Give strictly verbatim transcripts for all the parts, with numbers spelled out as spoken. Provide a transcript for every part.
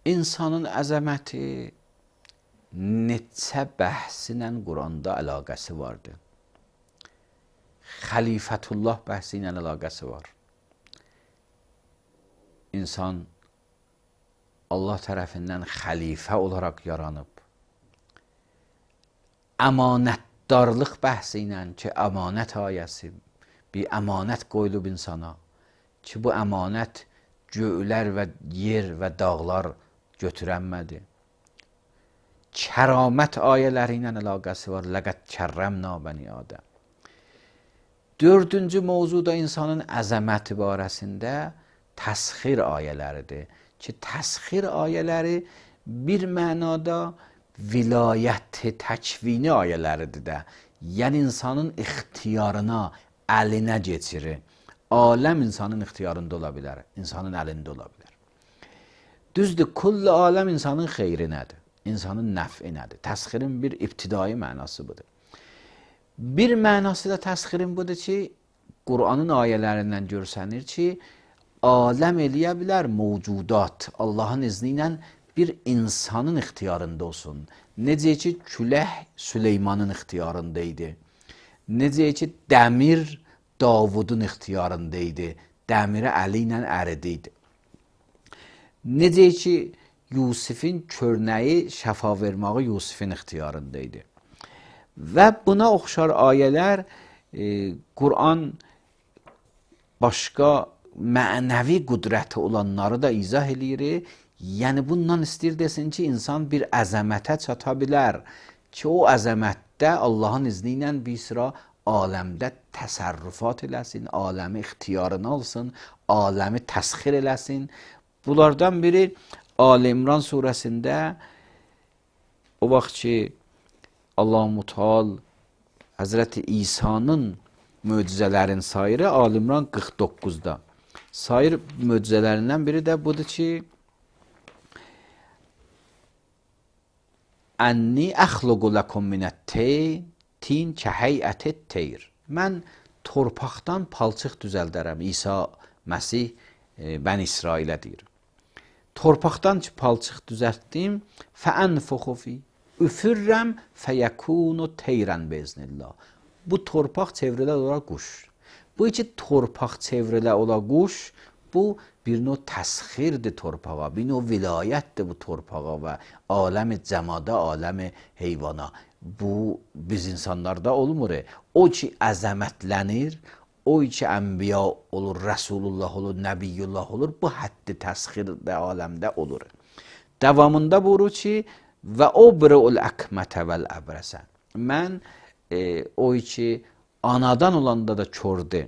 İnsanın əzəməti neçə bəhsinlə Quranda əlaqəsi vardır. Xəlifətullah bəhsi ilə əlaqəsi var. İnsan Allah tərəfindən xəlifə olaraq yaranıb. Əmanətdarlıq bəhsi ilə ki, əmanət ayəsi, bir əmanət qoyulub insana ki, bu əmanət göylər və yer və dağlar götürənmədi. Kəramət ayələri ilə əlaqəsi var. Ləqəd kərrəmna bəni Adəm. Dördüncü mövzuda insanın əzəməti barəsində təsxir ayələridir. Ki, təsxir ayələri bir mənada vilayət təkvini ayələridir də. Yəni, insanın ixtiyarına, əlinə geçirir. Aləm insanın ixtiyarında ola bilər, insanın əlində ola bilər. Düzdür, kulli aləm insanın xeyrinədir, insanın nəf'inədir. Təsxirin bir ibtidai mənası budur. Bir mənası da təsxirin budur ki, Qur'anın ayələrindən görsənir ki, aləm eləyə bilər mövcudat, Allahın izni ilə bir insanın ixtiyarında olsun. Necə ki, küləh Süleymanın ixtiyarında idi. Necə ki, dəmir Davudun ixtiyarında idi. Dəmiri əli ilə əridiydi. Necə ki, Yusifin körnəyi şəfa verməyi Yusifin ixtiyarında idi. Və buna oxşar ayələr e, Qur'an başqa mənəvi qüdrəti olanları da izah eləyir. Yəni, bundan istəyir desin ki, insan bir əzəmətə çata bilər ki, o əzəmətdə Allahın izni ilə bir sıra aləmdə təsərrüfat eləsin, aləmi ixtiyarını alsın, aləmi təsxir eləsin. Bunlardan biri Ali İmran surəsində o vaxt ki, Allah-u Teala Həzrəti İsa'nın möcüzələrin sayırı Ali İmran qırx doqquzda. Sayır möcüzələrindən biri də budur ki, Ənni əxluqu ləkum minət-tin kəhəyətət teyr. Mən torpaqdan palçıq düzəldərəm. İsa Məsih e, Bən İsrailə deyir. Torpaqdan ki, palçıq düzəltdim, fəənfuxu fi, üfürrəm fəyəkunu teyrən beznillah. Bu torpaq çevrilə olaraq quş. Bu iki torpaq çevrilə olaraq quş, bu bir növ təsxirdir torpağa, bir növ vilayətdir bu torpağa və aləmi cəmada, aləmi heyvana. Bu, biz insanlarda olmur. O ki, əzəmətlənir, o ki, ənbiya olur, Rəsulullah olur, Nəbiyyullah olur, bu həddi təsxirdə aləmdə olur. Davamında buyurur ki, və o birəul əkmətə vəl əbrəsə. Mən e, o ki, anadan olanda da kördü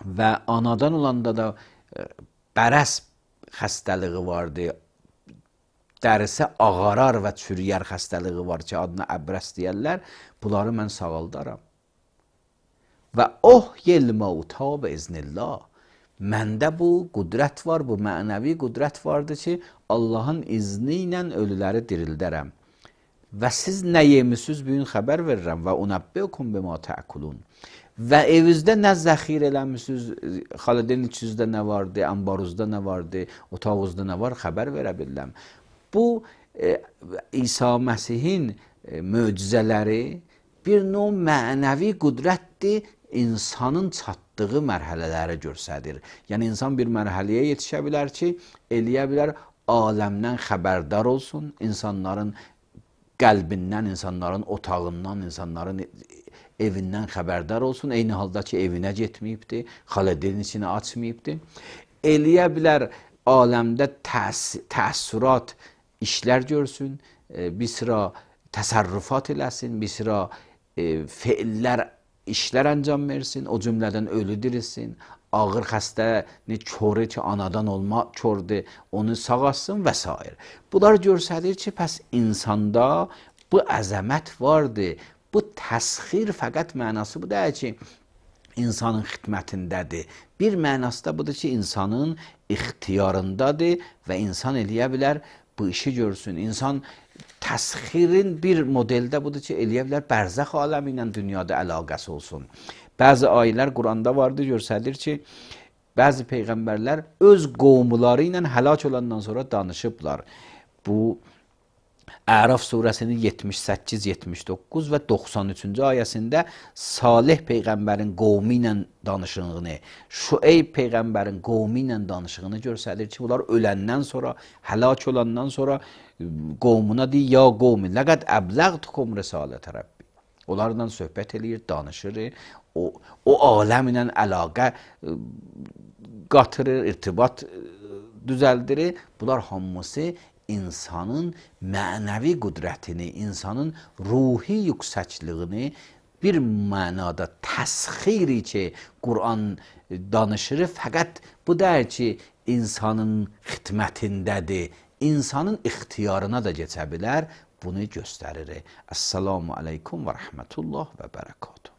və anadan olanda da e, bərəs xəstəliği vardı, dərisi ağarar və çürüyər xəstəliği var ki, adına əbrəs deyərlər, bunları mən sağaldaram. Və oh yel mauta bi iznillah. Məndə bu qüdrət var, bu mənəvi qüdrət vardır ki, Allahın izni ilə ölüləri dirildərəm. Və siz nə yemisiniz, bu gün xəbər verirəm. Və unəbbiukum bima təəkulun. Və evinizdə nə zəxir eləmişsiniz, xalidin içinizdə nə vardı, ambaruzda nə vardı, otağınızda nə var, xəbər verə bilirəm. Bu, e, İsa Məsihin e, möcüzələri bir növ mənəvi qüdrətdir, insanın çatdığı mərhələləri göstərir. Yəni, insan bir mərhələyə yetişə bilər ki, eləyə bilər, aləmdən xəbərdar olsun, insanların qəlbindən, insanların otağından, insanların evindən xəbərdar olsun, eyni halda ki, evinə getməyibdir, xalədinin içini açmayıbdır. Eləyə bilər, aləmdə təs təəssürat, işlər görsün, bir sıra təsərrüfat eləsin, bir sıra e, feillər, işlər əncam versin, o cümlədən ölü dirilsin, ağır xəstəni körü ki, anadan olma kördür, onu sağalsın və s. Bunlar göstərir ki, pəs insanda bu əzəmət vardır. Bu təsxir fəqət mənası bu deyil ki, insanın xidmətindədir. Bir mənası da budur ki, insanın ixtiyarındadır və insan eləyə bilər, bu işi görsün. İnsan təsxirin bir modeldə budur ki, eləyə bilər, bərzəx aləmi ilə dünyada əlaqəsi olsun. Bəzi ayələr Quranda vardır, göstərir ki, Bəzi peyğəmbərlər öz qovmuları ilə həlak olandan sonra danışıblar. Bu Əraf surəsinin yetmiş səkkiz yetmiş doqquz və doxsan üçüncü ayəsində Salih peyğəmbərin qovmu ilə danışığını, Şüeyb peyğəmbərin qovmu ilə danışığını göstərir ki, bunlar öləndən sonra, həlak olandan sonra qovmuna deyir, ya qovmi, ləqəd əbləğtukum risalətə Rabbi. Onlarla söhbət eləyir, danışır, o, o aləm ilə əlaqə qatırır, irtibat düzəldirir. Bunlar hamısı insanın mənəvi qüdrətini, insanın ruhi yüksəkliyini bir mənada təsxiri ki, Quran danışır, fəqət bu deyir ki, insanın xidmətindədir, insanın ixtiyarına da keçə bilər, bunu göstərir. Əssalamu aleykum və rəhmətullah və bərəkatuhu.